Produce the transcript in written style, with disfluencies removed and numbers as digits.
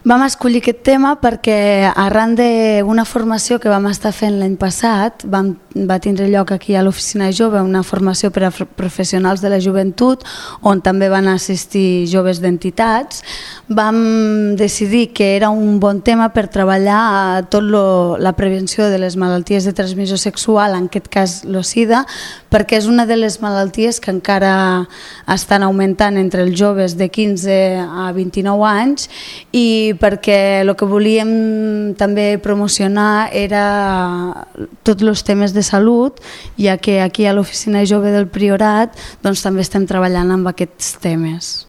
Vam escollir aquest tema perquè arran d'una formació que vam estar fent l'any passat, va tindre lloc aquí a l'Oficina Jove una formació per a professionals de la joventut on també van assistir joves d'entitats. Vam decidir que era un bon tema per treballar la prevenció de les malalties de transmissió sexual, en aquest cas l'SIDA, perquè és una de les malalties que encara estan augmentant entre els joves de 15 a 29 anys i perquè el que volíem també promocionar era tots els temes de salut, ja que aquí a l'Oficina Jove del Priorat també estem treballant amb aquests temes.